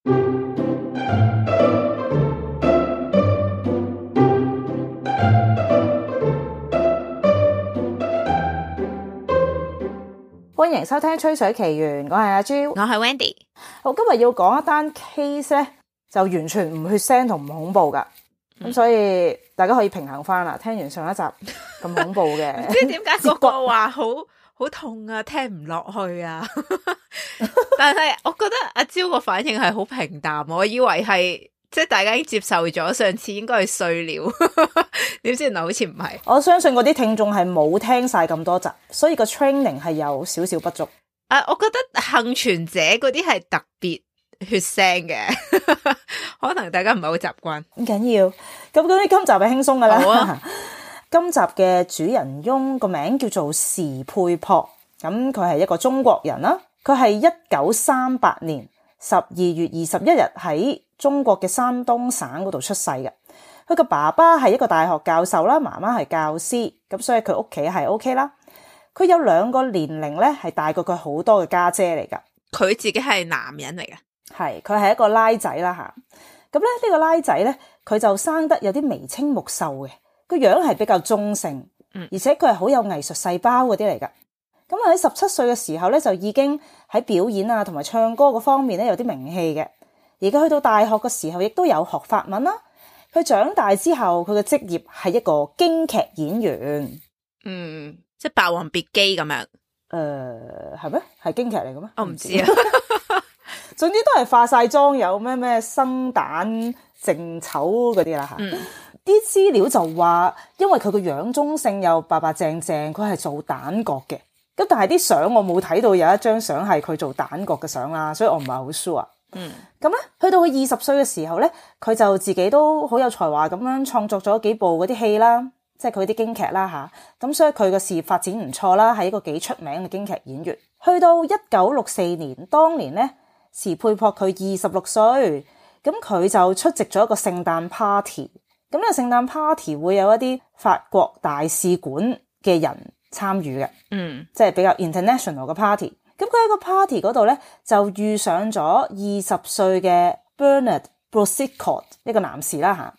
歡迎收聽《吹水奇緣》，我係阿朱，我係 Wendy。我今日要講一單 case 咧，就完全唔血腥同唔恐怖噶，咁所以大家可以平衡翻啦。聽完上一集咁恐怖嘅，唔知點解個個話好痛啊，聽唔落去啊。但係我覺得阿蕉個反應係好平淡，我以為係即係大家已經接受咗，上次應該係碎料，點知原來好似唔係。我相信嗰啲聽眾係冇聽晒咁多集，所以個 training 係有少少不足。我覺得幸存者嗰啲係特別血腥嘅，可能大家唔係好習慣。唔緊要，咁嗰啲今集係輕鬆噶啦。好啊。今集嘅主人翁個名叫做時佩璞，咁佢係一個中國人啦。佢係1938年12月21日喺中國嘅山東省嗰度出世嘅。佢個爸爸係一個大學教授啦，媽媽係教師，咁所以佢屋企係 OK 啦。佢有2個年齡咧係大過佢好多嘅家姐嚟噶。佢自己係男人嚟嘅，係佢係一個拉仔啦吓。咁咧呢個拉仔咧，佢就生得有啲眉清目秀嘅。個樣係比較中性，而且佢係好有藝術細胞嗰啲嚟噶。咁喺17歲嘅時候咧，就已經喺表演啊同埋唱歌嗰方面咧有啲名氣嘅。而佢去到大學嘅時候，亦都有學法文啦。佢長大之後，佢嘅職業係一個京劇演員。即係《霸王別姬》咁樣。係咩？係京劇嚟嘅咩？我唔知啊。總之都係化晒妝，有咩生旦淨丑嗰啲啦吓。啲資料就話，因為佢個樣中性又白白淨淨，佢係做旦角嘅。咁但係啲相我冇睇到有一張相係佢做旦角嘅相啦，所以我唔係好 sure。咁咧，去到佢20歲嘅時候咧，佢就自己都好有才華咁樣創作咗幾部嗰啲戲啦，即係佢啲京劇啦吓。咁所以佢個事業發展唔錯啦，係一個幾出名嘅京劇演員。去到1964年，當年咧，時佩璞佢26歲，咁佢就出席咗一個聖誕 party。咁呢個聖誕 party 會有一啲法國大使館嘅人參與嘅，即係比較 international 嘅 party。咁佢喺個 party 嗰度咧，就遇上咗20歲嘅 Bernard Brosicot 呢個男士啦吓。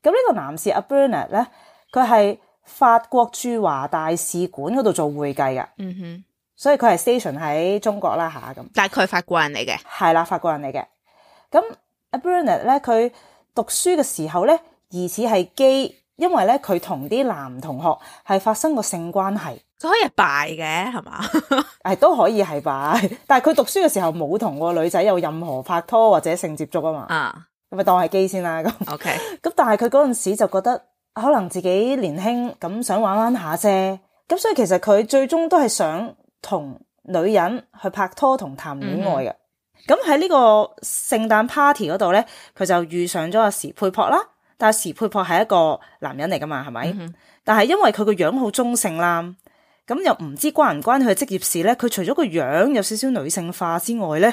咁呢個男士阿 Bernard 咧，佢係法國駐華大使館嗰度做會計嘅，所以佢係 station 喺中國啦吓咁。大概法國人嚟嘅，係啦，法國人嚟嘅。咁阿 Bernard 咧，佢讀書嘅時候咧，疑似係基，因為咧佢同啲男同學係發生過性關係。佢可以係拜嘅係嘛？都可以係拜，但係佢讀書嘅時候冇同個女仔有任何拍拖或者性接觸啊嘛。咁咪當係基先啦。咁 OK。咁但係佢嗰陣時就覺得可能自己年輕，咁想玩玩下啫。咁所以其實佢最終都係想同女人去拍拖同談戀愛嘅。咁喺呢個聖誕 party 嗰度咧，佢就遇上咗阿時佩璞啦。但係時佩璞係一個男人嚟噶嘛，係咪？但係因為佢個樣好中性啦，咁又唔知關唔關佢嘅職業事咧？佢除咗個樣有少少女性化之外咧，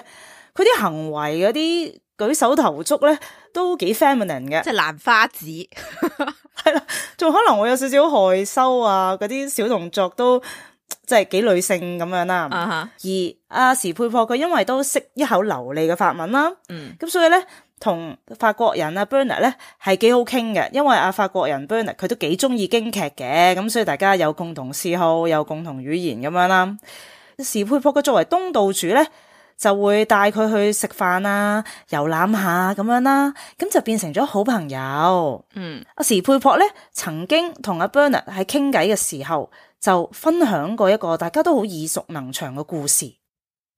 佢啲行為嗰啲舉手投足咧都幾 feminine 嘅，即係蘭花指。係啦，仲可能會有少少害羞啊，嗰啲小動作都即係幾女性咁樣啦。而阿時佩璞佢因為都識一口流利嘅法文啦，咁所以咧，同法國人阿 Bernard 咧係幾好傾嘅，因為阿法國人 Bernard 佢都幾中意京劇嘅，咁所以大家有共同嗜好，有共同語言咁樣啦。時佩璞佢作為東道主咧，就會帶佢去食飯啊、遊覽下咁樣啦，咁就變成咗好朋友。阿時佩璞咧曾經同阿 Bernard 喺傾偈嘅時候，就分享過一個大家都好耳熟能詳嘅故事。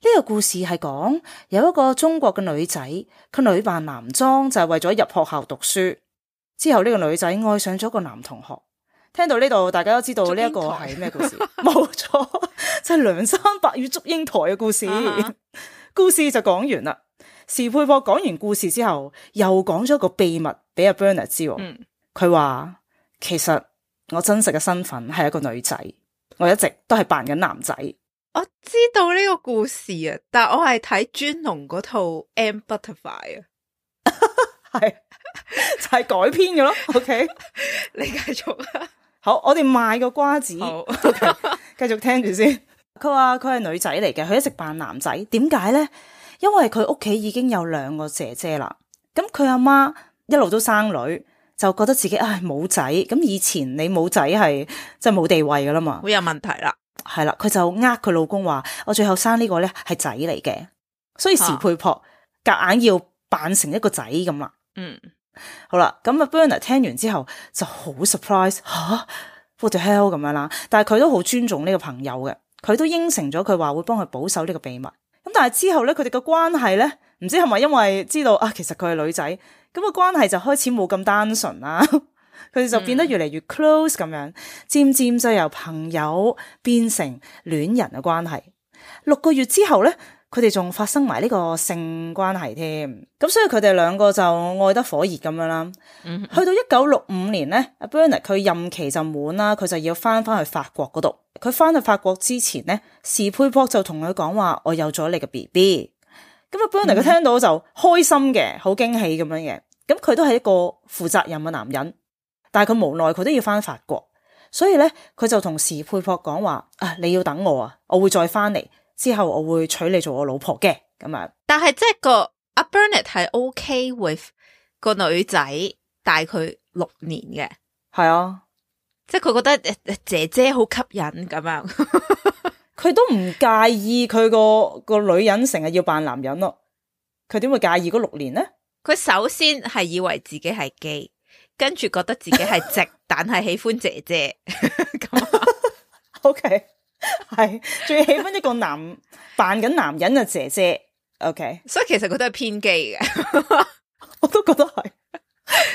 呢個故事係講有一個中國嘅女仔，佢女扮男裝就係為咗入學校讀書。之後呢個女仔愛上咗個男同學。聽到呢度，大家都知道呢一個係咩故事？冇錯，就係梁山伯與祝英台嘅故事。故事就講完啦。時佩璞講完故事之後，又講咗個秘密俾阿 Bernard 知。佢話其實我真實嘅身份係一個女仔，我一直都係扮緊男仔。我知道呢個故事啊，但我係睇尊龍嗰套《M Butterfly》啊，係就係改編嘅咯。OK， 你繼續啊。好，我哋賣個瓜子。好， okay，繼續聽住先。佢話佢係女仔嚟嘅，佢一直扮男仔。點解咧？因為佢屋企已經有2個姐姐啦。咁佢阿媽一路都生女，就覺得自己冇仔。咁以前你冇仔係即係冇地位噶啦嘛，好有問題啦。係啦，佢就佢老公話：我最後生呢個咧係仔嚟嘅，所以時配撲夾硬要扮成一個仔咁啦。好啦，咁啊 Bernard 聽完之後就好 surprise 吓 ，what the hell 咁樣啦。但係佢都好尊重呢個朋友嘅，佢都應承咗佢話會幫佢保守呢個秘密。咁但係之後咧，佢哋嘅關係咧，唔知係咪因為知道其實佢係女仔，咁個關係就開始冇咁單純啦。佢哋就變得越嚟越 close 咁樣，漸漸就由朋友變成戀人嘅關係。6個月之後咧，佢哋仲發生埋呢個性關係添。咁所以佢哋2個就愛得火熱咁樣啦。去到1965年咧，阿 Bernard 佢任期就滿啦，佢就要翻去法國嗰度。佢翻去法國之前咧，時配撲就同佢講話：我有咗你嘅 BB。咁阿 Bernard 佢聽到就開心嘅，好驚喜咁樣嘅。咁佢都係一個負責任嘅男人。但係佢無奈佢都要翻法國，所以咧佢就同時配撲講話：你要等我我會再翻嚟，之後我會娶你做我老婆嘅咁樣。但係即係個阿 Bernard 係 OK with 個女仔大佢6年嘅，係啊，即係佢覺得姐姐好吸引咁樣，佢都唔介意佢個女人成日要扮男人咯。佢點會介意嗰6年咧？佢首先係以為自己係基。跟住覺得自己係直，但係喜歡姐姐咁。OK， 係最喜歡一個扮緊男人嘅姐姐。OK， 所以其實佢都係偏基嘅，我都覺得係，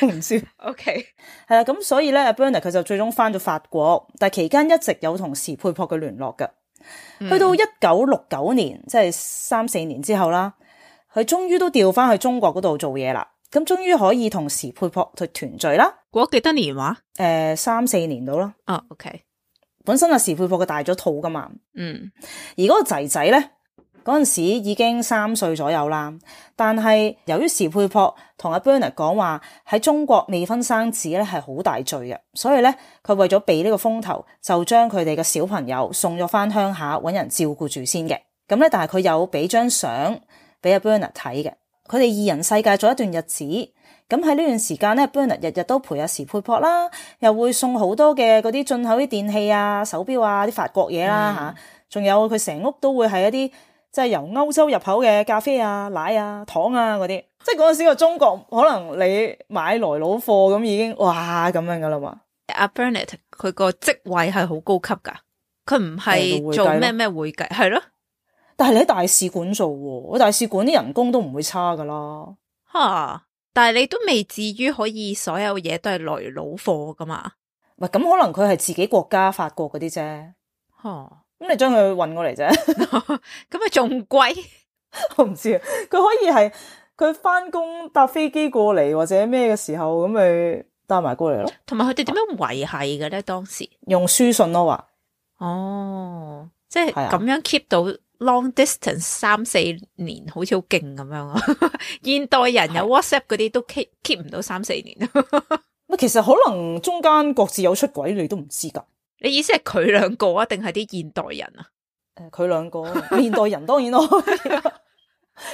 我唔知。OK， 係啦，咁所以咧 ，Bernard 佢就最終翻咗法國，但係期間一直有同時配撲嘅聯絡嘅。去到1969年，即係3-4年之後啦，佢終於都調翻去中國嗰度做嘢啦。咁終於可以同時配撲去團聚啦。過咗幾多年話？3-4年到啦。OK。本身時配撲佢大咗肚噶嘛。而嗰個仔仔咧，嗰陣時已經3歲左右啦。但係由於時配撲同阿 Bernard 講話喺中國未婚生子咧係好大罪嘅，所以咧佢為咗避呢個風頭，就將佢哋嘅小朋友送咗翻鄉下搵人照顧住先嘅。咁咧，但係佢有俾張相俾阿 Bernard 睇嘅。佢哋2人世界咗一段日子，咁喺呢段時間咧 Bernard 日日都陪阿時配撲啦，又會送好多嘅嗰啲進口啲電器啊、手錶啊、啲法國嘢啦吓，仲有佢成屋都會係一啲即係由歐洲入口嘅咖啡啊、奶啊、糖啊嗰啲，即係嗰陣時個中國可能你買來佬貨咁已經哇咁樣噶啦嘛。阿 Bernard 佢個職位係好高級噶，佢唔係做咩會計係咯。但係你喺大使館做喎，大使館啲人工都唔會差噶啦。但係你都未至於可以所有嘢都係來佬貨噶嘛？喂，咁可能佢係自己國家法國嗰啲啫。咁你將佢運過嚟啫，咁咪仲貴？我唔知啊。佢可以係佢翻工搭飛機過嚟或者咩嘅時候，咁咪帶埋過嚟咯。同埋佢哋點樣維繫嘅咧？當時用書信咯，話即係咁樣 keep 到。Long distance 3-4年好似好勁咁樣啊！現代人有 WhatsApp 嗰啲都 keep 唔到3-4年。其實可能中間各自有出軌，你都唔知噶。你意思係佢2個啊，定係啲現代人啊？佢2個，現代人當然咯，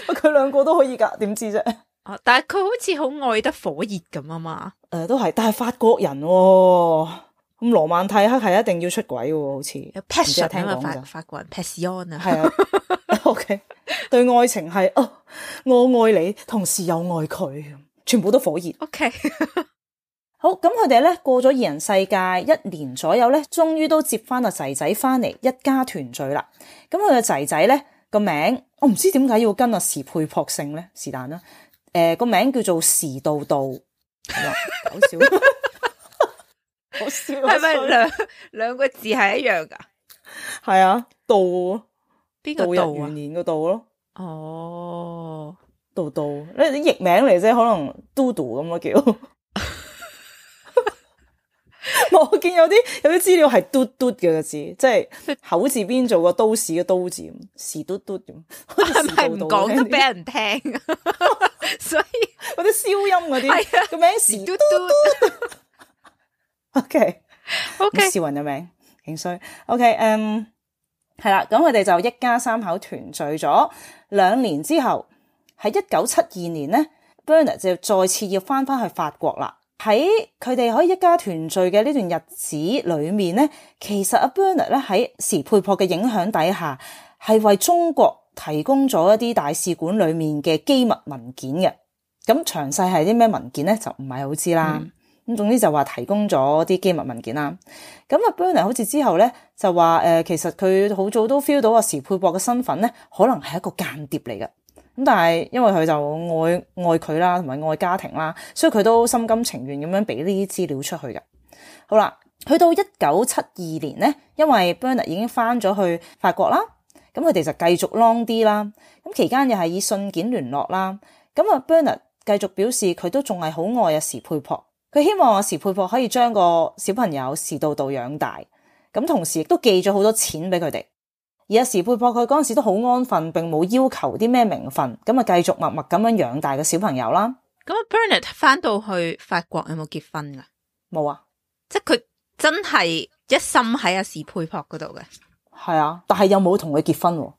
佢2個都可以噶，點知啫？但係佢好似好愛得火熱咁啊嘛。都係，但係法國人喎。咁羅曼蒂克係一定要出軌喎，好似有 passion 啊嘛，法國人 passion 啊，係啊，OK， 對愛情係我愛你，同時又愛佢，全部都火熱。OK， 好，咁佢哋咧過咗2人世界1年左右咧，終於都接翻個仔仔翻嚟，一家團聚啦。咁佢個仔仔咧個名，我唔知點解要跟阿時配撲姓咧，是但啦。個名叫做時道道，搞笑。好笑，係咪兩個字係一樣噶？係啊，道邊個道啊？元年個道咯。道道，你啲譯名嚟啫，可能嘟嘟咁咯叫。我見有啲資料係嘟嘟嘅個字，即係口字邊做個都市嘅都字，時嘟嘟咁。係咪唔講得俾人聽？所以嗰啲消音嗰啲，個名時嘟嘟。OK， OK， 笑人嘅名，勁衰。OK，係啦，咁佢哋就一家三口團聚咗2年之後，喺1972年咧 Bernard 就再次要翻去法國啦。喺佢哋可以一家團聚嘅呢段日子裏面咧，其實阿 Bernard 咧喺時佩珀嘅影響底下，係為中國提供咗一啲大使館裏面嘅機密文件嘅。咁詳細係啲咩文件咧，就唔係好知啦。咁總之就話提供咗啲機密文件啦。咁阿 Bernard 好似之後咧就話其實佢好早都 feel 到阿時佩珀嘅身份咧，可能係一個間諜嚟嘅。咁但係因為佢就愛佢啦，同埋愛家庭啦，所以佢都心甘情願咁樣俾呢啲資料出去嘅。好啦，去到1972年咧，因為 Bernard 已經翻咗去法國啦，咁佢哋就繼續 long 啲啦。咁期間又係以信件聯絡啦。咁啊 Bernard 繼續表示佢都仲係好愛阿時佩珀，佢希望阿時佩珀可以將個小朋友時道道養大。咁同時亦都寄咗好多錢俾佢哋。而阿時佩珀佢嗰陣時都好安分，並冇要求啲咩名分，咁啊繼續默默咁樣養大個小朋友啦。咁 Bernard 翻到去法國有冇結婚噶？冇啊，即係佢真係一心喺阿時佩珀嗰度嘅。係啊，但係又冇同佢結婚喎。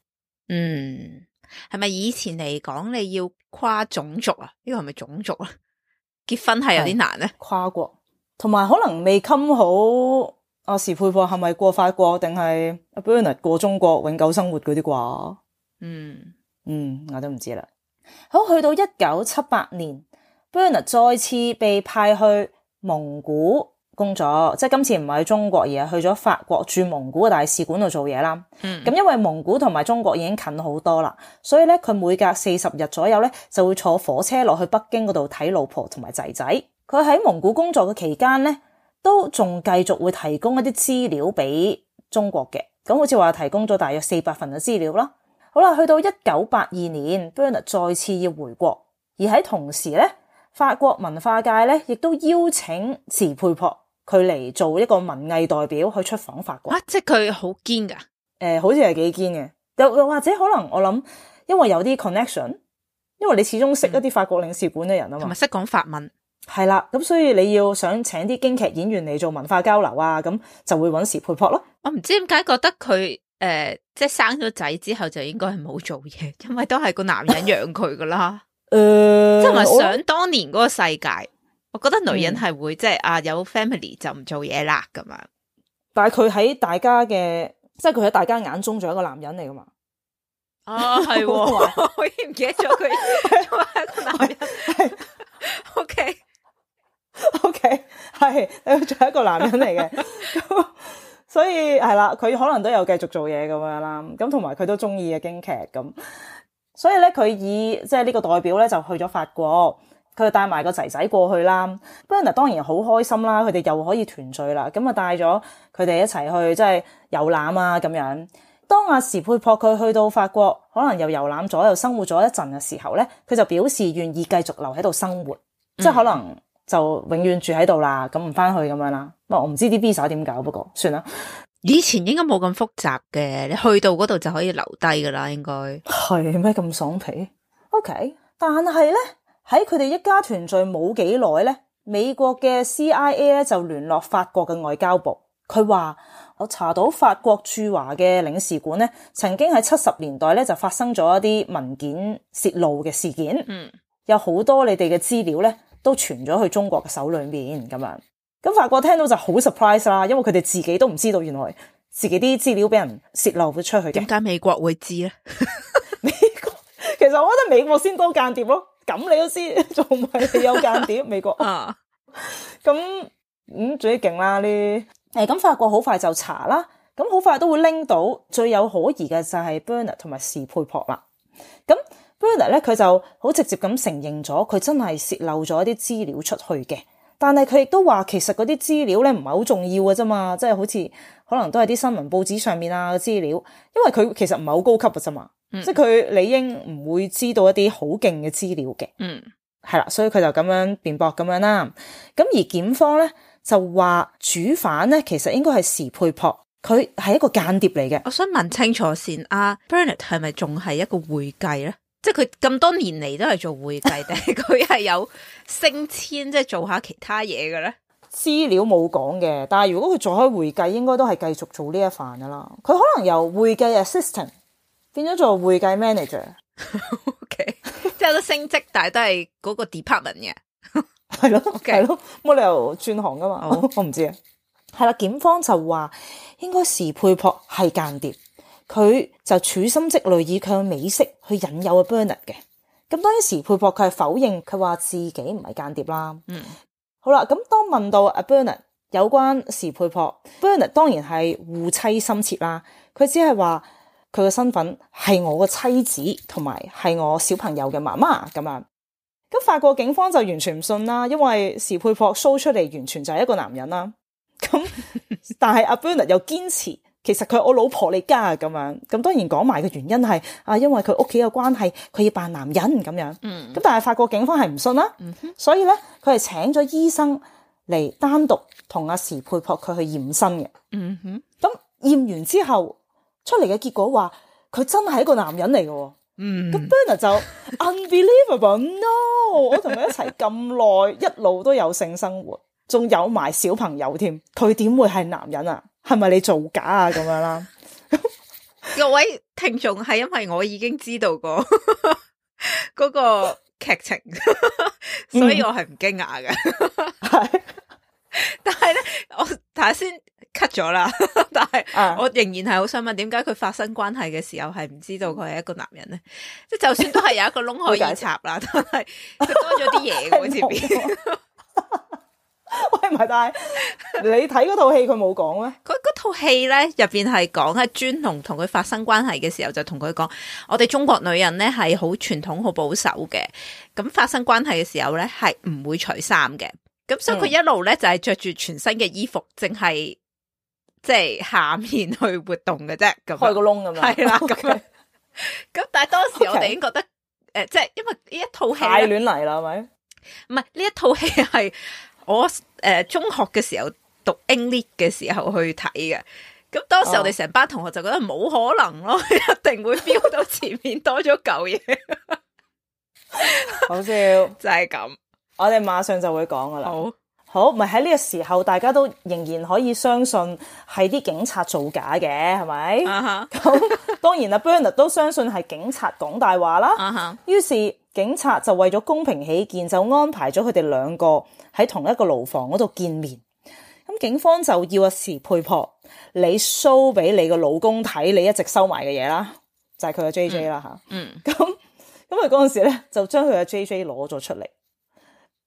係咪以前嚟講你要跨種族啊？呢個係咪種族啊？結婚係有啲難咧。跨國，同埋可能未襟好。阿時佩珀係咪過法國，定係阿 Bernard 過中國永久生活嗰啲啩？我都唔知啦。好，去到1978年 Bernard 再次被派去蒙古工作，即係今次唔係喺中國，而係去咗法國駐蒙古嘅大使館度做嘢啦。咁因為蒙古同埋中國已經近好多啦，所以咧佢每隔40日左右咧就會坐火車落去北京嗰度睇老婆同埋仔仔。佢喺蒙古工作嘅期間咧，都仲繼續會提供一啲資料俾中國嘅，咁好似話提供咗大約400份嘅資料啦。好啦，去到1982年 Bernard 再次要回國，而喺同時咧，法國文化界咧亦都邀請時佩珀佢嚟做一個文藝代表去出訪法國。即係佢好堅噶？好似係幾堅嘅，又或者可能我諗，因為有啲 connection， 因為你始終識一啲法國領事館嘅人啊嘛，同埋識講法文。係啦，咁所以你要想請啲京劇演員嚟做文化交流啊，咁就會揾時佩珀咯。我唔知點解覺得佢即係生咗仔之後就應該係冇做嘢，因為都係個男人養佢噶啦。即係咪想當年嗰個世界，我覺得女人係會即係有 family 就唔做嘢啦咁樣。但係佢喺大家嘅，即係佢喺大家眼中仲係一個男人嚟噶嘛。係，我已經唔記得咗佢係一個男人。係OK， 係佢仲係一個男人嚟嘅，所以係啦，佢可能都有繼續做嘢咁樣啦。咁同埋佢都中意嘅京劇咁，所以咧佢以即係呢個代表咧就去咗法國，佢就帶埋個仔仔過去啦。Bernard 當然好開心啦，佢哋又可以團聚啦，咁啊帶咗佢哋一齊去即係遊覽啊咁樣。當阿時佩珀佢去到法國，可能又遊覽咗又生活咗一陣嘅時候咧，佢就表示願意繼續留喺度生活，即係可能就永遠住喺度啦，咁唔翻去咁樣啦。我唔知啲 visa 點搞，不過算啦。以前應該冇咁複雜嘅，你去到嗰度就可以留低噶啦，應該係咩咁爽皮 ？OK， 但係咧喺佢哋一家團聚冇幾耐咧，美國嘅 CIA 咧就聯絡法國嘅外交部，佢話我查到法國駐華嘅領事館咧，曾經喺70年代咧就發生咗一啲文件洩露嘅事件，有好多你哋嘅資料咧都傳咗去中國嘅手裏面咁樣。咁法國聽到就好 surprise 啦，因為佢哋自己都唔知道原來自己啲資料俾人洩漏咗出去嘅。點解美國會知咧？美國其實我覺得美國先多間諜咯，咁你都知，仲唔係你有間諜？美國啊，咁最勁啦呢。咁法國好快就查啦，咁好快都會拎到最有可疑嘅就係 Bernard 同埋時佩珀啦。咁 Bernard 咧佢就好直接咁承認咗佢真係洩漏咗一啲資料出去嘅。但係佢亦都話其實嗰啲資料咧唔係好重要嘅啫嘛，即係好似可能都係啲新聞報紙上面啊嘅資料，因為佢其實唔係好高級嘅啫嘛，即係佢理應唔會知道一啲好勁嘅資料嘅，係啦，所以佢就咁樣辯駁咁樣啦。咁而檢方咧就話主犯咧其實應該係時佩珀，佢係一個間諜嚟嘅。我想問清楚先，Bernard 係咪仲係一個會計咧？即係佢咁多年嚟都係做會計，定係佢係有升遷，即係做下其他嘢嘅咧？資料冇講嘅，但係如果佢做開會計，應該都係繼續做呢一範噶啦。佢可能由會計 assistant 變咗做會計 manager。OK， 即係有得升職，但係都係嗰個 department 嘅。係咯，係咯，冇理由轉行噶嘛。我唔知啊。係啦，檢方就話應該時佩珀係間諜，佢就處心積慮以佢嘅美色去引誘阿 Bernard 嘅。咁當然時佩珀佢係否認，佢話自己唔係間諜啦。好啦，咁當問到阿 Bernard 有關時佩珀 ，Bernard 當然係護妻心切啦。佢只係話佢嘅身份係我嘅妻子，同埋係我小朋友嘅媽媽咁樣。咁法國警方就完全唔信啦，因為時佩珀 show 出嚟完全就係一個男人啦。咁但係阿 Bernard 又堅持其實佢係我老婆嚟㗎咁樣。咁當然講埋嘅原因係因為佢屋企嘅關係，佢要扮男人咁樣。咁但係法國警方係唔信啦。所以咧佢係請咗醫生嚟單獨同阿時佩珀佢去驗身嘅。咁驗完之後出嚟嘅結果話佢真係一個男人嚟嘅。咁 Bernard 就 unbelievable no， 我同佢一齊咁耐，一路都有性生活，仲有埋小朋友添，佢點會係男人啊？係咪你造假啊？咁樣啦。各位聽眾係因為我已經知道過嗰個劇情，所以我係唔驚訝嘅。係，但係咧，我睇下先。cut 咗啦，但係我仍然係好想問，點解佢發生關係嘅時候係唔知道佢係一個男人咧？即係就算都係有一個窿可以插啦，但係佢多咗啲嘢嘅前邊。喂，唔係，但係你睇嗰套戲佢冇講咩？佢嗰套戲咧入邊係講係專龍同佢發生關係嘅時候就同佢講，我哋中國女人咧係好傳統、好保守嘅，咁發生關係嘅時候咧係唔會除衫嘅，咁所以佢一路咧就係着住全新嘅衣服，淨係。即係下面去活動嘅啫，咁開個窿咁樣，係啦，咁樣。咁但係當時我哋已經覺得，即係因為呢一套戲太亂嚟啦，係咪？唔係呢一套戲係我中學嘅時候讀 English 嘅時候去睇嘅。咁當時我哋成班同學就覺得冇可能咯，一定會飆到前面多咗嚿嘢。好笑，就係咁。我哋馬上就會講噶啦。好，咪喺呢個時候，大家都仍然可以相信係啲警察造假嘅，係咪？咁當然Bernard 都相信係警察講大話啦。於是警察就為咗公平起見，就安排咗佢哋兩個喺同一個牢房嗰度見面。咁警方就要阿時佩珀你 show 俾你個老公睇，你一直收埋嘅嘢啦，就係佢嘅 JJ 啦吓。咁佢嗰陣時咧就將佢嘅 JJ 攞咗出嚟。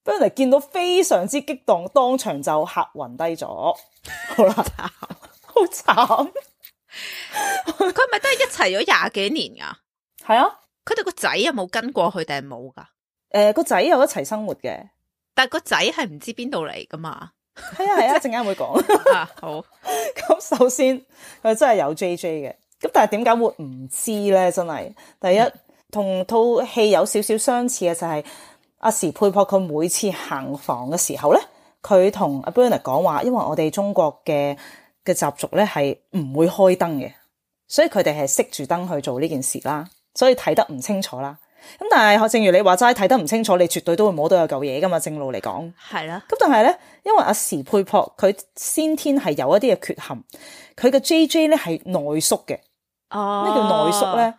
Bernard 見到非常之激動，當場就嚇暈低咗。好啦，好慘。佢咪都係一齊咗廿幾年噶？係啊。佢哋個仔有冇跟過去定係冇噶？個仔有一齊生活嘅，但係個仔係唔知邊度嚟噶嘛？係啊係啊，陣間會講。好。咁首先佢真係有 JJ 嘅，咁但係點解會唔知咧？真係第一同套戲有少少相似嘅就係。阿時佩珀佢每次行房嘅時候咧，佢同阿 Bernard 講話，因為我哋中國嘅習俗咧係唔會開燈嘅，所以佢哋係熄住燈去做呢件事啦，所以睇得唔清楚啦。咁但係正如你話齋，睇得唔清楚，你絕對都會摸到有嚿嘢噶嘛，正路嚟講。係啦。咁但係咧，因為阿時佩珀佢先天係有一啲嘅缺陷，佢嘅 JJ 咧係內縮嘅。咩叫內縮咧？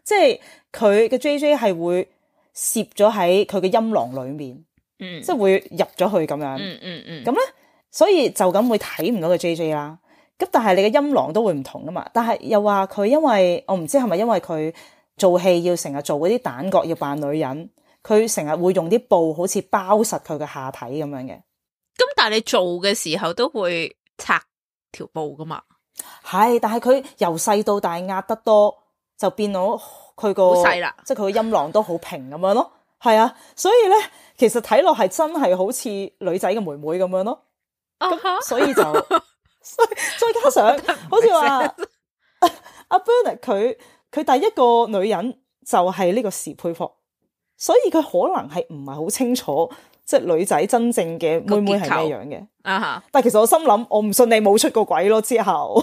即係佢嘅 JJ 係會攝咗喺佢嘅陰囊裏面，即係會入咗去咁樣。咁咧，所以就咁會睇唔到個 JJ 啦。咁但係你嘅陰囊都會唔同噶嘛。但係又話佢因為我唔知係咪因為佢做戲要成日做嗰啲蛋角要扮女人，佢成日會用啲布好似包實佢嘅下體咁樣嘅。咁但係你做嘅時候都會拆條布噶嘛？係，但係佢由細到大壓得多，就變到佢個好細啦，即係佢個陰囊都好平咁樣咯。係啊，所以咧，其實睇落係真係好似女仔嘅妹妹咁樣咯。所以就，再加上好似話阿 Bernard 佢第一個女人就係呢個時佩珀，所以佢可能係唔係好清楚，即係女仔真正嘅妹妹係咩樣嘅。但係其實我心諗，我唔信你冇出過軌咯。之後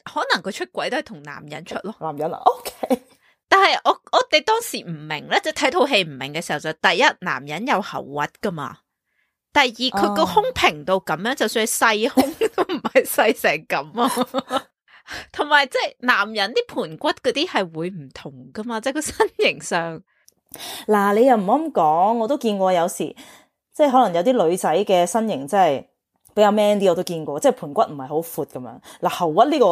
可能佢出軌都係同男人出咯。男人啊 ，OK。但係我哋當時唔明咧，即係睇套戲唔明嘅時候就第一，男人有喉核噶嘛，第二佢個胸平到咁樣，就算係細胸都唔係細成咁啊。同埋即係男人啲盤骨嗰啲係會唔同噶嘛，即係個身形上。嗱，你又唔好咁講，我都見過有時，即係可能有啲女仔嘅身形真係比較 man 啲，我都見過，即係盤骨唔係好闊咁樣。嗱，喉屈呢個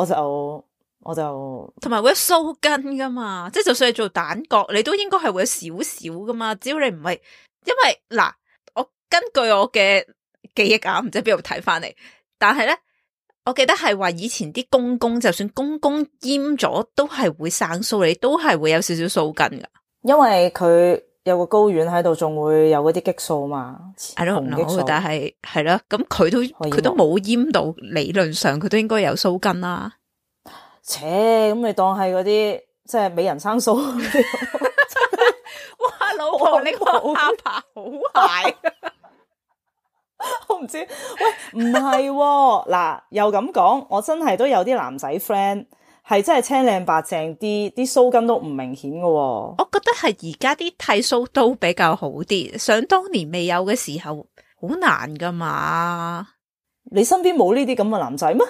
我就同埋會有鬚根噶嘛，即係就算係做蛋角，你都應該係會有少少噶嘛。只要你唔係，因為嗱，我根據我嘅記憶啊，唔知邊度睇翻嚟，但係咧。我記得係話以前啲公公，就算公公閹咗，都係會生鬚，你都係會有少少鬚根噶。因為佢有個睾丸喺度，仲會有嗰啲激素嘛。I don't know，但係係咯，咁佢都冇閹到，理論上佢都應該有鬚根啦。切，咁你當係嗰啲即係美人生鬚。哇，老婆你個下巴好大。我唔知，喂，唔係嗱，又咁講，我真係都有啲男仔 friend 係真係青靚白淨啲鬚根都唔明顯嘅。我覺得係而家啲剃鬚刀比較好啲，想當年未有嘅時候好難噶嘛。你身邊冇呢啲咁嘅男仔咩？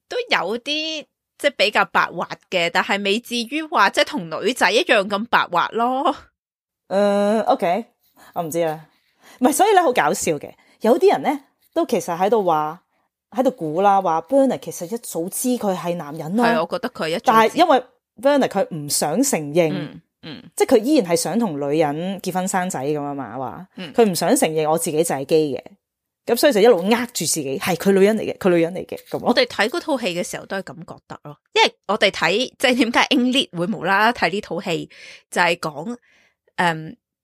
都有啲即係比較白滑嘅，但係未至於話即係同女仔一樣咁白滑咯。OK， 我唔知啦，唔係，所以咧好搞笑嘅。有啲人咧都其實喺度估啦，話 Bernard 其實一早知佢係男人啦。係，我覺得佢但係因為 Bernard 佢唔想承認，即係佢依然係想同女人結婚生仔咁啊嘛，話佢唔想承認我自己就係基嘅，咁所以就一路呃住自己係佢女人嚟嘅，佢女人嚟嘅咁。我哋睇嗰套戲嘅時候都係咁覺得咯，因為我哋睇即係點解 English 會無啦啦睇呢套戲，就係講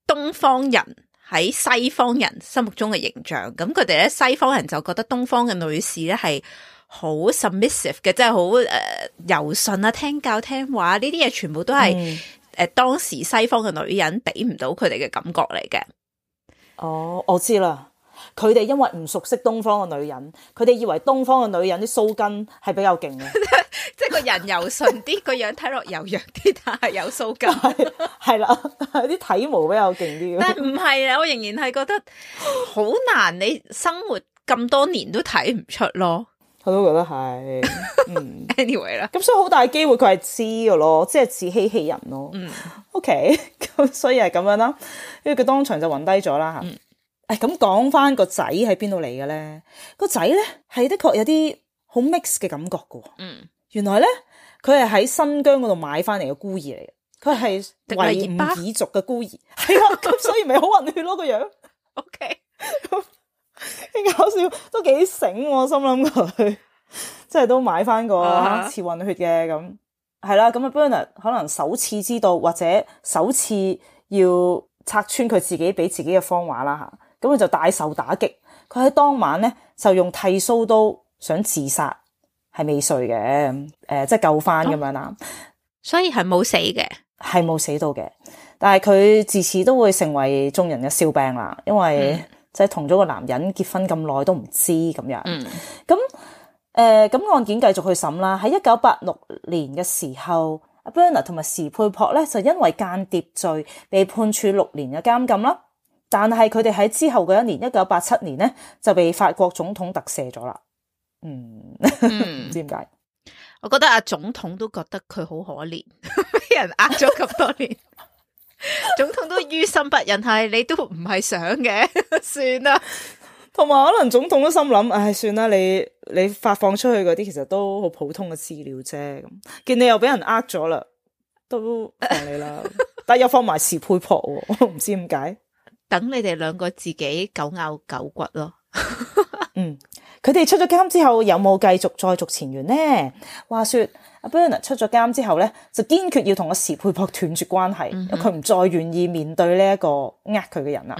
東方人喺西方人心目中嘅形象，咁佢哋咧西方人就覺得東方嘅女士咧係好 submissive 嘅，即係好柔順啊，聽教聽話呢啲嘢，全部都係當時西方嘅女人俾唔到佢哋嘅感覺嚟嘅。哦，我知啦，佢哋因為唔熟悉東方嘅女人，佢哋以為東方嘅女人啲鬚根係比較勁嘅，即係個人柔順啲，個樣睇落柔弱啲，但係有鬚根，係啦，啲體毛比較勁啲。但係唔係啊，我仍然係覺得好難，你生活咁多年都睇唔出咯。我都覺得係，anyway 啦，咁所以好大機會佢係知嘅咯，即係自欺欺人咯。OK， 咁所以係咁樣啦，因為佢當場就暈低咗啦吓。咁講翻個仔喺邊度嚟嘅咧？個仔咧係的確有啲好 mix 嘅感覺嘅。原來咧佢係喺新疆嗰度買翻嚟嘅孤兒嚟嘅，佢係維吾爾族嘅孤兒，係啦，咁所以咪好混血咯個樣。OK。幾搞笑，都幾醒，我心諗佢即係都買翻個似混血嘅咁，係啦。咁啊 Bernard 可能首次知道或者首次要拆穿佢自己俾自己嘅謊話啦吓，咁佢就大受打擊。佢喺當晚咧就用剃鬚刀想自殺，係未遂嘅，即係救翻咁樣啦。所以係冇死嘅，係冇死到嘅，但係佢自此都會成為眾人嘅笑柄啦，因為即係同咗個男人結婚咁耐都唔知咁樣。咁案件繼續去審啦。喺1986年嘅時候，阿 Bernard 同埋時佩珀咧就因為間諜罪被判處6年嘅監禁啦。但係佢哋喺之後嗰一年1987年咧就被法國總統特赦咗啦。唔知點解？我覺得阿總統都覺得佢好可憐，俾人呃咗咁多年。總統都於心不忍，係你都唔係想嘅，算啦。同埋可能總統都心諗，唉，算啦，你發放出去嗰啲其實都好普通嘅資料啫。咁見你又俾人呃咗啦，都放你啦。但係又放埋時佩珀，我唔知點解。等你哋兩個自己狗咬狗骨咯。佢哋出咗監之後有冇繼續再續前緣呢？話說阿 Bernard 出咗監之後咧，就堅決要同阿時佩珀斷絕關係，因為佢唔再願意面對呢一個呃佢嘅人啦。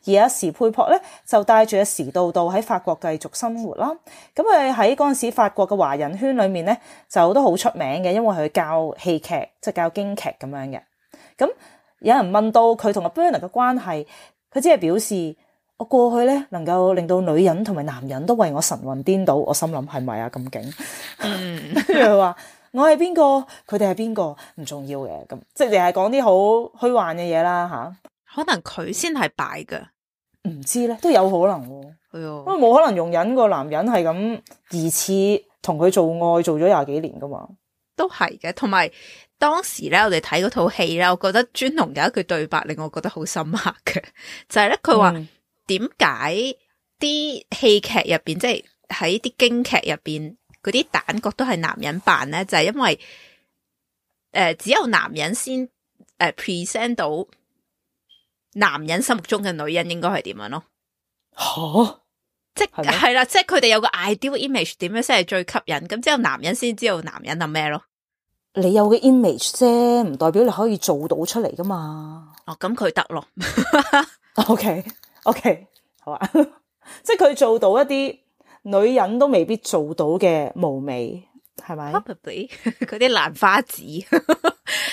而阿時佩珀咧就帶住阿時道道喺法國繼續生活啦。咁佢喺嗰陣時法國嘅華人圈裏面咧就都好出名嘅，因為佢教戲劇，即係教京劇咁樣嘅。咁有人問到佢同阿 Bernard 嘅關係，佢只係表示，我過去咧能夠令到女人同埋男人都為我神魂顛倒，我心諗係咪啊咁勁？佢話我係邊個，佢哋係邊個唔重要嘅，咁即係你係講啲好虛幻嘅嘢啦吓。可能佢先係敗噶，唔知咧，都有可能喎。係啊，因為冇可能容忍個男人係咁疑似同佢做愛做咗20幾年噶嘛。都係嘅。同埋當時咧，我哋睇嗰套戲咧，我覺得尊龍有一句對白令我覺得好深刻嘅，就係咧佢話點解啲戲劇入邊，即係喺啲京劇入邊嗰啲旦角都係男人扮咧，就係因為只有男人先present 到男人心目中嘅女人應該係點樣咯。吓，即係啦，即係佢哋有個 ideal image 點樣先係最吸引，咁之後男人先知道男人係咩咯。你有嘅 image 啫，唔代表你可以做到出嚟噶嘛。哦，咁佢得咯。OK，好啊，即係佢做到一啲女人都未必做到嘅嫵媚，係咪 ？Probably 嗰啲蘭花指。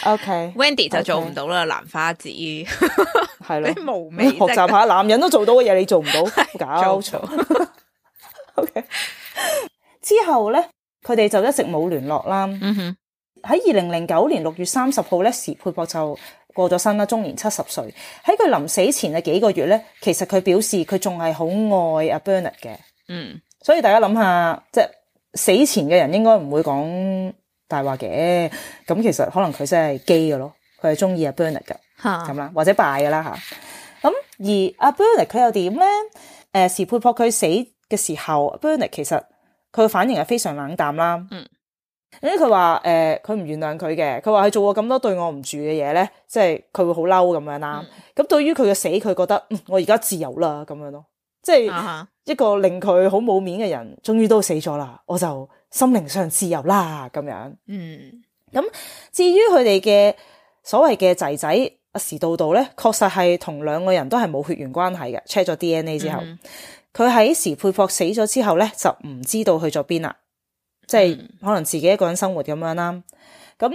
OK，Wendy 就做唔到啦，蘭花指係咯，啲嫵媚學習下男人都做到嘅嘢，你做唔到，搞錯。OK， 之後咧，佢哋就一直冇聯絡啦。喺2009年6月30號咧，時佩博就過咗身啦，終年70歲。喺佢臨死前嘅幾個月咧，其實佢表示佢仲係好愛阿 Bernard 嘅。所以大家諗下，即係死前嘅人應該唔會講大話嘅。咁其實可能佢真係基嘅咯，佢係中意阿 Bernard 噶，咁啦，或者拜噶啦吓。咁而阿 Bernard 佢又點咧？時佩博佢死嘅時候 ，Bernard 其實佢嘅反應係非常冷淡啦。因為佢話佢唔原諒佢嘅，佢話佢做過咁多對我唔住嘅嘢咧，即係佢會好嬲咁樣啦。咁對於佢嘅死，佢覺得我而家自由啦咁樣咯，即係一個令佢好冇面嘅人，終於都死咗啦，我就心靈上自由啦咁樣。咁至於佢哋嘅所謂嘅仔仔阿時道道咧，確實係同兩個人都係冇血緣關係嘅。check 咗 DNA 之後，佢喺時佩博死咗之後咧，就唔知道去咗邊啦。即係可能自己一個人生活咁樣啦，咁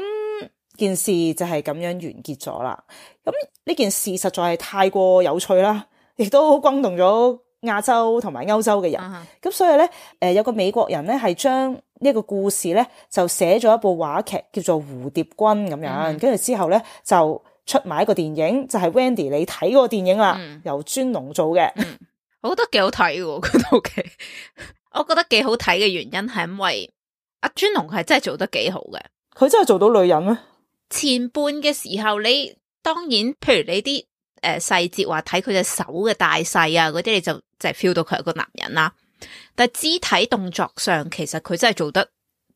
件事就係咁樣完結咗啦。咁呢件事實在係太過有趣啦，亦都轟動咗亞洲同埋歐洲嘅人。咁所以咧，有個美國人咧係將呢個故事咧就寫咗一部話劇叫做《蝴蝶君》咁樣，跟住之後咧就出埋一個電影，就係 Wendy 你睇嗰個電影啦，由尊龍做嘅。我覺得幾好睇喎嗰套劇。我覺得幾好睇嘅原因係因為阿尊龍係真係做得幾好嘅，佢真係做到女人咩？前半嘅時候你當然，譬如你啲細節話睇佢隻手嘅大細啊嗰啲，你就係 feel 到佢係個男人啦。但係肢體動作上，其實佢真係做得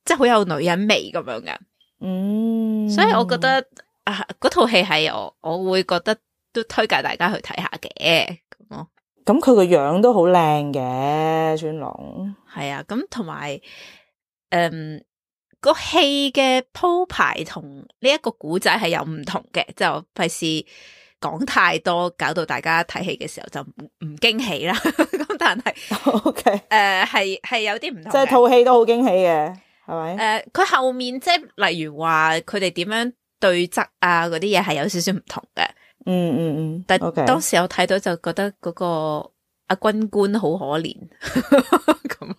即係好有女人味咁樣嘅。所以我覺得嗰套戲係我會覺得都推介大家去睇下嘅咁咯。咁佢個樣都好靚嘅，尊龍係啊，咁同埋。個戲嘅鋪排同呢一個古仔係有唔同嘅，就費事講太多，搞到大家睇戲嘅時候就唔驚喜啦。咁但係，OK，係有啲唔同嘅，即係套戲都好驚喜嘅，係咪？佢後面即係例如話佢哋點樣對質啊嗰啲嘢係有少少唔同嘅。但當時我睇到就覺得嗰個阿軍官好可憐咁。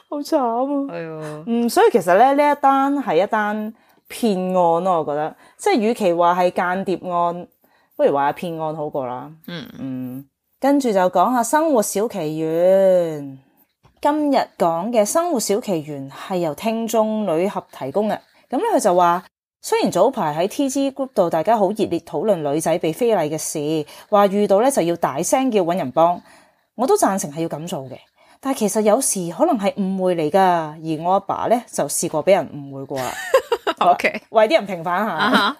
好慘啊！係啊，所以其實咧呢一單係一單騙案咯，我覺得即係與其話係間諜案，不如話係騙案好過啦。跟住就講下生活小奇緣。今日講嘅生活小奇緣係由聽眾女俠提供嘅。咁咧佢就話，雖然早排喺 TG Group 度大家好熱烈討論女仔被非禮嘅事，話遇到咧就要大聲叫搵人幫，我都贊成係要咁做嘅。但係其實有時可能係誤會嚟噶，而我阿爸咧就試過俾人誤會過啦。OK，為啲人平反下。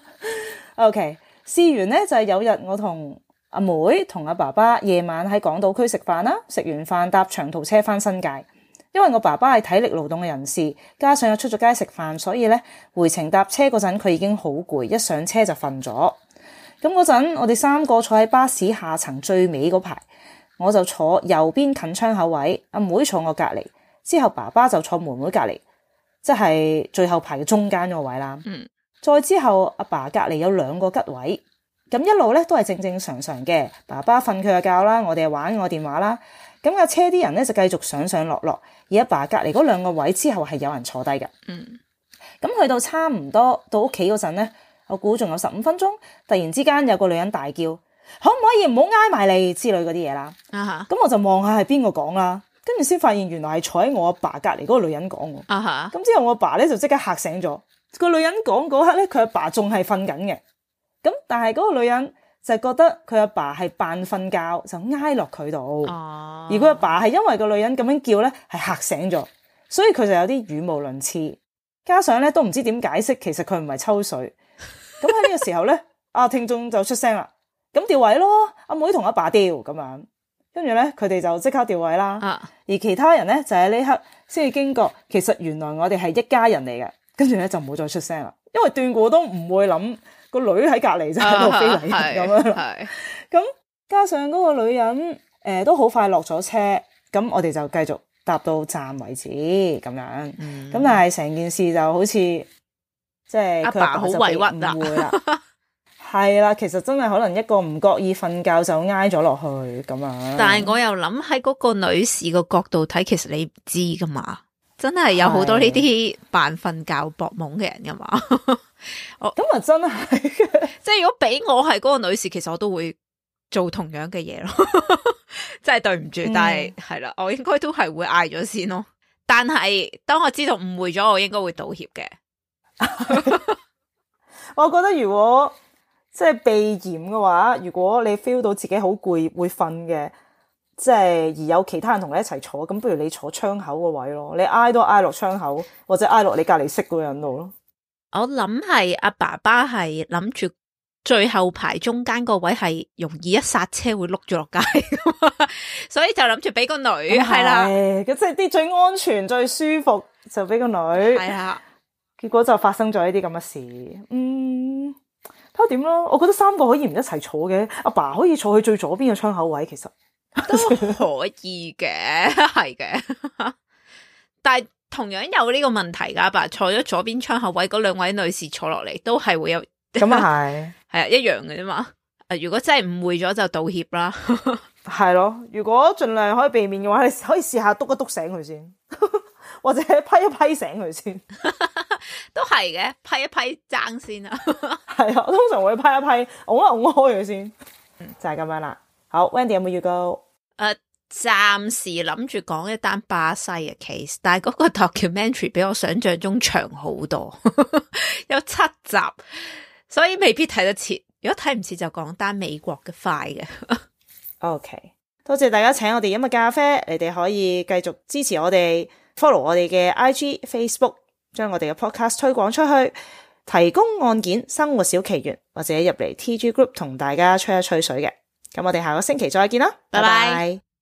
OK， 試完咧就係有日我同阿妹同阿爸爸夜晚喺港島區食飯啦，食完飯搭長途車翻新界。因為我爸爸係體力勞動嘅人士，加上又出咗街食飯，所以咧回程搭車嗰陣佢已經好攰，一上車就瞓咗。咁嗰陣我哋三個坐喺巴士下層最尾嗰排。我就坐右邊近窗口位，阿妹坐我隔籬，之後爸爸就坐妹妹隔籬，即係最後排嘅中間嗰個位啦。再之後阿爸隔籬有兩個吉位，咁一路咧都係正正常常嘅。爸爸瞓佢嘅覺啦，我哋玩我電話啦。咁架車啲人咧就繼續上上落落，而阿爸隔籬嗰兩個位之後係有人坐低嘅。咁去到差唔多到屋企嗰陣咧，我估仲有15分鐘，突然之間有個女人大叫。可唔可以唔好挨埋嚟之類嗰啲嘢啦。咁我就望下係邊個講啦，跟住先發現原來係坐喺我阿爸隔籬嗰個女人講喎。咁之後我阿爸咧就即刻嚇醒咗。個女人講嗰刻咧，佢阿爸仲係瞓緊嘅。咁但係嗰個女人就覺得佢阿爸係扮瞓覺，就挨落佢度。而佢阿爸係因為個女人咁樣叫咧，係嚇醒咗，所以佢就有啲語無倫次。加上咧都唔知點解釋，其實佢唔係抽水。咁喺呢個時候咧，聽眾就出聲啦。咁調位咯，阿妹同阿爸調咁樣，跟住咧佢哋就即刻調位啦。而其他人咧就喺呢刻先至驚覺，其實原來我哋係一家人嚟嘅。跟住咧就冇再出聲啦，因為斷估都唔會諗個女喺隔籬就喺度非禮咁樣啦。咁加上嗰個女人都好快落咗車，咁我哋就繼續搭到站為止咁樣。咁但係成件事就好似即係阿爸好委屈啦，係啦，其實真係可能一個唔覺意瞓覺就挨咗落去咁樣。但係我又諗喺嗰個女士個角度睇，其實你唔知噶嘛。真係有好多呢啲扮瞓覺搏懵嘅人噶嘛。咁啊真係即係如果俾我係嗰個女士，其實我都會做同樣嘅嘢咯。真係對唔住，但係係啦，我應該都係會嗌咗先咯。但係當我知道誤會咗，我應該會道歉嘅。我覺得如果即係避嫌嘅話，如果你 feel 到自己好攰會瞓嘅，即係而有其他人同你一齊坐，咁不如你坐窗口個位咯，你挨都挨落窗口，或者挨落你隔籬識嗰個人度咯。我諗係阿爸爸係諗住最後排中間個位係容易一剎車會碌咗落街，所以就諗住俾個女係啦，即係啲最安全最舒服就俾個女係啦。結果就發生咗呢啲咁嘅事。睇下點咯，我覺得三個可以唔一齊坐嘅，阿爸可以坐去最左邊嘅窗口位，其實都可以嘅，係嘅。但係同樣有呢個問題噶，阿爸坐咗左邊窗口位，嗰兩位女士坐落嚟都係會有咁啊係係一樣嘅啫嘛。如果真係誤會咗就道歉啦。係咯，如果盡量可以避免嘅話，你可以試下篤一篤醒佢先，或者批一批醒佢先。都係嘅，批一批爭先啊。係啊，我通常會批一批，拱一拱開佢先。就係咁樣啦。好 Wendy 有冇預告？暫時諗住講一單巴西嘅 case， 但係嗰個 documentary 比我想象中長好多，有7集，所以未必睇得切。如果睇唔切就講單美國嘅快嘅。OK， 多謝大家請我哋飲嘅咖啡，你哋可以繼續支持我哋 ，follow 我哋嘅 IG、Facebook， 將我哋嘅 podcast 推廣出去，提供案件、生活小奇緣，或者入嚟 TG Group 同大家吹一吹水嘅。咁我哋下個星期再見啦，拜拜。